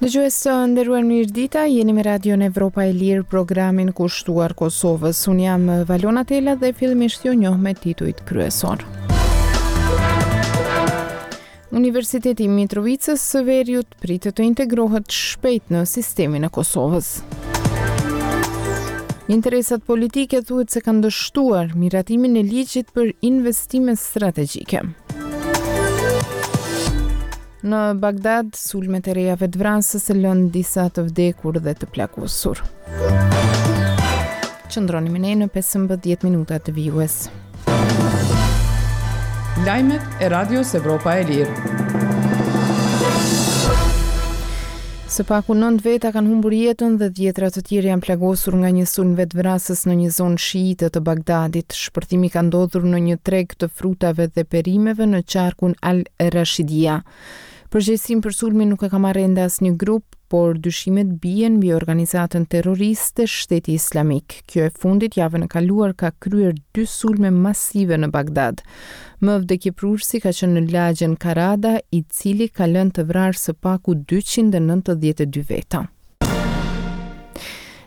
Dëgjues të nderuar mirëdita, jeni me Radion Evropa e Lirë, programin kushtuar Kosovës. Unë jam Valona Tela dhe fillimisht ju njoh me titujt kryesorë. Universiteti i Mitrovicës së Veriut pritet të integrohet shpejt në sistemin e Kosovës. Interesat politike thuhet se kanë dështuar miratimin e ligjit për investime strategjike. Në Bagdad, sulmet e reja vetëvrasëse lënë disa të vdekur dhe të plagosur. Qëndroni me ne në 15 minutat vijuese. Lajmet e Radios Evropa e Lirë. Së paku 9 veta kanë humbur jetën dhe dhjetra të tjerë janë plagosur nga një sulm vetëvrasës në një zonë shiite të Bagdadit. Shpërthimi ka ndodhur në një treg të frutave dhe perimeve në qarkun Al-Rashidia. Përgjegjësinë për sulmin nuk e ka marrë ende asnjë grup, por dyshimet bien mbi organizatën terroriste Shteti Islamik. Kjo e fundit javën e kaluar ka kryer dy sulme masive në Bagdad. Më vdekjeprurësi ka qenë në lagjen Karada, i cili ka lënë të vrarë së paku 292 veta.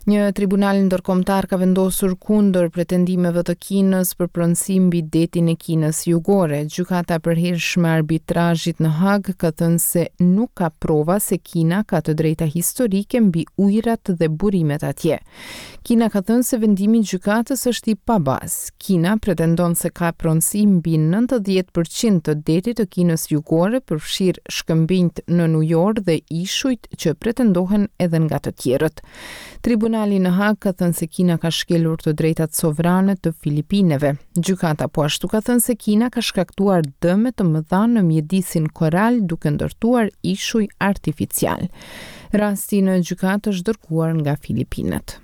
Një tribunal ndërkombëtar ka vendosur kundër pretendimeve të Kinës për pronësi mbi detin e Kinës Jugore. Gjykata e Përhershme e Arbitrazhit në Hagë ka thënë se nuk ka prova se Kina ka të drejta historike mbi ujërat dhe burimet atje. Kina ka thënë se vendimi i gjykatës është i pabazë. Kina pretendon se ka pronësi mbi 90 për qind të detit të Kinës Jugore, përfshirë shkëmbinjtë nënujorë dhe ishujt që pretendohen edhe nga të tjerët. Tribunali në Hagë ka thënë se Kina ka shkelur të drejtat sovrane të Filipineve. Gjykata po ashtu ka thënë se Kina ka shkaktuar dëme të mëdha në mjedisin koral duke ndërtuar ishuj artificialë. Rasti në gjykatë është dërguar nga Filipinet.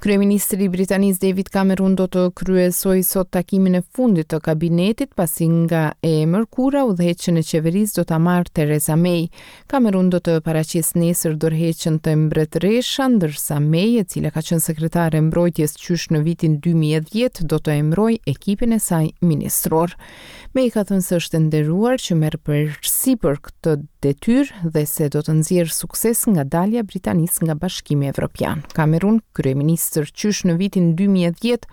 Kryeministri i Britanisë David Cameron do të kryesojë sot takimin e fundit të kabinetit, pasi nga e mërkura udhëheqjen e qeverisë do ta marrë Theresa May. Cameron do të paraqesë nesër dorëheqjen te mbretëresha, ndërsa May, e cila ka qenë sekretare e mbrojtjes qysh në vitin 2010, do të emërojë ekipin e saj ministror. May ka thënë se është e nderuar që merr përsipër këtë detyrë dhe se do të nxjerrë sukses nga dalja e Britanisë nga Bashkimi Evropian. Cameron, kryeministër qysh në vitin 2010,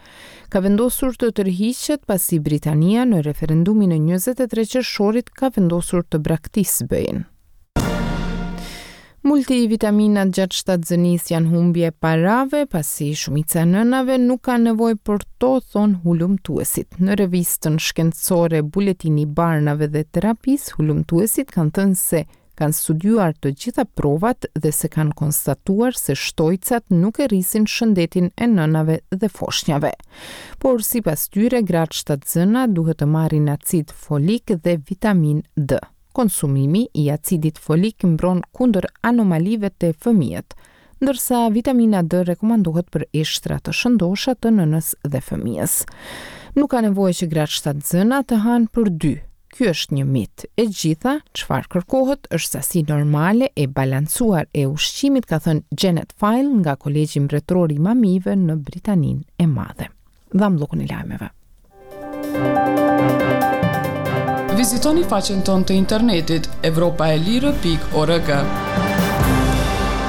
ka vendosur të tërhiqet pasi Britania në referendumin e 23 qershorit ka vendosur të braktisë BE-në. Multivitaminat gjatë shtatzënisë janë humbje e parave, pasi shumica e nënave nuk kanë nevojë për to, thonë hulumtuesit. Në revistën shkencore Buletini i Barnave dhe Terapisë, hulumtuesit kanë thënë se kanë studiuar të gjitha provat dhe se kanë konstatuar se shtojcat nuk e rrisin shëndetin e nënave dhe foshnjave. Por sipas tyre, gratë shtatzëna duhet të marrin acid folik dhe vitaminë D. Konsumimi i acidit folik mbron kundër anomalive te fëmijët, ndërsa vitamina D rekomandohet për eshtra të shëndosha të nënës dhe fëmijës. Nuk ka nevojë që gratë shtatzëna të hanë për dy. Ky është një mit. E gjitha çfarë kërkohet është sasi normale e balancuar e ushqimit, ka thënë Janet File nga Kolegji Mbretëror i Mamive në Britaninë e Madhe. Dhamë bllokun e lajmeve. Vizitoni faqen tonë të internetit evropaelire.org.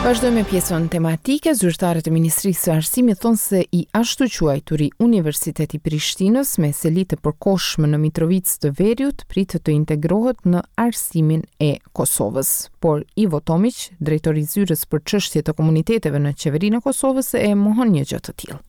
Vazhdojmë me pjesën tematike. Zyrtarët e Ministrisë së Arsimit thonë se i ashtuquajturi Universitet i Prishtinës me seli të përkohshme në Mitrovicë të Veriut pritet të integrohet në arsimin e Kosovës. Por Ivo Tomiq, drejtor i zyrës për çështje të komuniteteve në Qeverinë e Kosovës e mohon një gjë të tillë.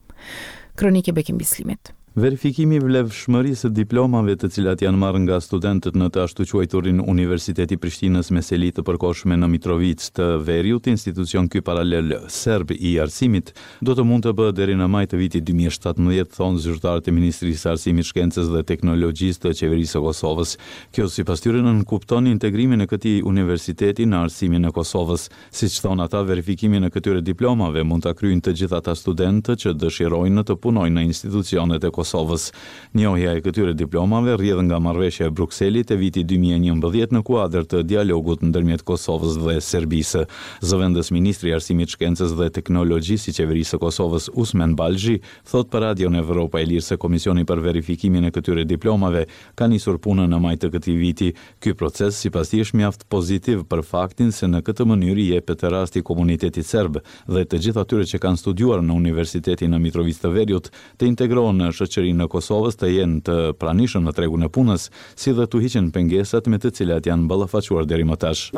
Kronikë e Bekim Bislimit. Verifikimi i vlefshmërisë së diplomave të cilat janë marrë nga studentët në të ashtuquajturin Universitet i Prishtinës me seli të përkohshme në Mitrovicë të Veriut, institucion ky paralel serb i arsimit, do të mund të bëhet deri në maj të vitit 2017, thonë zyrtarët e Ministrisë së Arsimit, Shkencës dhe Teknologjisë të Qeverisë së Kosovës. Kjo, sipas tyre, nënkupton integrimin e këtij universiteti në arsimin e Kosovës. Siç thonë ata, verifikimin e këtyre diplomave mund ta kryejnë të gjithë ata studentë që dëshirojnë të punojnë në institucionet e Kosovës. Kosovës. Njohja e këtyre diplomave rrjedh nga Marrëveshja e Brukselit e vitit 2011 në kuadër të dialogut ndërmjet Kosovës dhe Serbisë. Zëvendës ministri i Arsimit, Shkencës dhe Teknologjisë i Qeverisë së Kosovës, Usmen Balzhi, thotë për Radion Evropa e Lirë se Komisioni për verifikimin e këtyre diplomave ka nisur punën në maj të këtij viti. Ky proces, sipas tij, është mjaft pozitiv për faktin se në këtë mënyrë i jepet rasti komunitetit serb dhe të gjithë atyre që kanë studiuar në Universitetin në Mitrovicë të Veriut të integrohen në shoqërinë e Kosovës, të jenë të pranishëm në tregun e punës, si dhe t'u hiqen pengesat me të cilat janë ballafaquar deri më tash.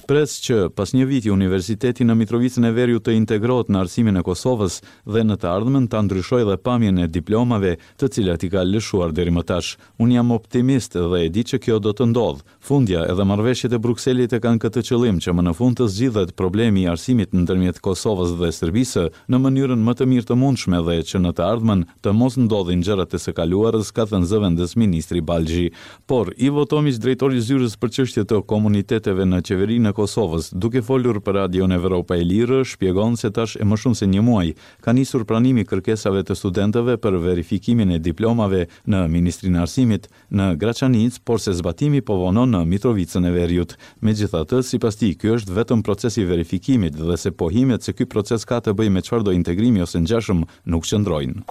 Pres që, pas një viti, Universiteti në Mitrovicën e Veriut të integrohet në arsimin e Kosovës dhe në të ardhmen ta ndryshojë dhe pamjen e diplomave të cilat i ka lëshuar deri më tash. Unë jam optimist dhe e di që kjo do të ndodhë. Fundja, edhe marrëveshjet e Brukselit e kanë këtë qëllim që më në fund të zgjidhet problemi i arsimit ndërmjet Kosovës dhe Serbisë në mënyrën më të mirë të mundshme dhe që në të ardhmen të mos ndodhin gjërat e së kaluarës, ka thënë zëvendës ministri Balzhi. Por, Ivo Tomiq, drejtor i Zyrës për Çështje të Komuniteteve në Qeverinë e Kosovës, duke folur për Radion Evropa e Lirë, shpjegon se tash e më shumë se një muaj ka nisur pranimi i kërkesave të studentëve për verifikimin e diplomave në Ministrinë e Arsimit, në Graçanicë, por se zbatimi po vonon në Mitrovicën e Veriut. Megjithatë, sipas tij, ky është vetëm proces i verifikimit dhe se pohimet se ky proces ka të bëjë me çfarëdo integrimi ose ngjashëm nuk qëndrojnë.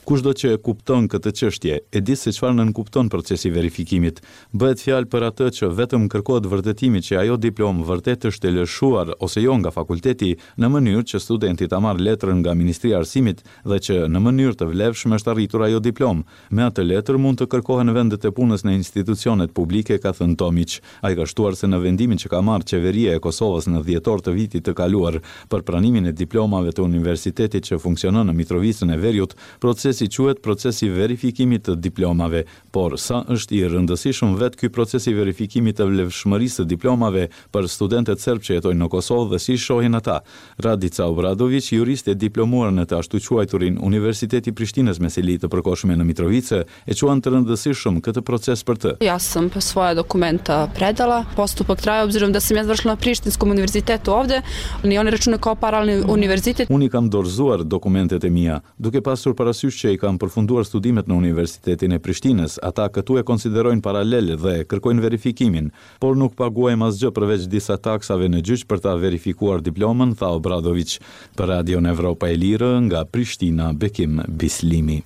Kushdo që e kupton këtë çështje, e di se çfarë nënkupton procesi i verifikimit. Bëhet fjalë për atë që vetëm kërkohet vërtetimi që ajo diplomë vërtet është e lëshuar ose jo nga fakulteti, në mënyrë që studenti ta marrë letrën nga Ministria e Arsimit dhe që në mënyrë të vlefshme është arritur ajo diplomë. Me atë letër mund të kërkohen vendet e punës në institucionet publike, ka thënë Tomiq. Ai ka shtuar se në vendimin që ka marrë Qeveria e Kosovës në dhjetor të vitit të kaluar për pranimin e diplomave të universitetit që funksionon në Mitrovicën e Veriut, procesi quhet proces i verifikimit të diplomave. Por, sa është i rëndësishëm vetë ky proces i verifikimit të vlefshmërisë së diplomave për studentët serbë që jetojnë në Kosovë dhe si shohin ata? Radica Obradoviq, juriste e diplomuar në të ashtuquajturin Universiteti i Prishtinës me seli të përkohshme në Mitrovicë, e quan të rëndësishëm këtë proces për të. Ja sam svoja dokumenta predala. Postupak traje obzirom da sam ja završila na Prištinskom univerzitetu ovde, ni oni računaju kao paralelni univerzitet. Unë i kam dorëzuar dokumentet e mia. Duke pasur parasysh që i kam përfunduar studimet në Universitetin e Prishtinës, ata këtu e konsiderojnë paralel dhe kërkojnë verifikimin. Por nuk paguajmë asgjë përveç disa taksave në gjyq për ta verifikuar diplomën, tha Obradoviq. Për Radion Evropa e Lirë, nga Prishtina, Bekim Bislimi.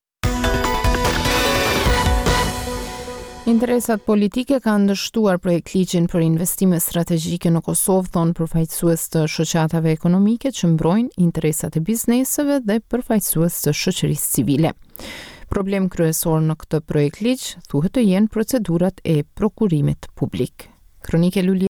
Interesat politike kanë dështuar projektligjin për investime strategjike në Kosovë, thonë përfaqësues të shoqatave ekonomike që mbrojnë interesat e bizneseve dhe përfaqësues të shoqërisë civile. Problem kryesor në këtë projektligj thuhet të jenë procedurat e prokurimit publik. Kronikë Luli.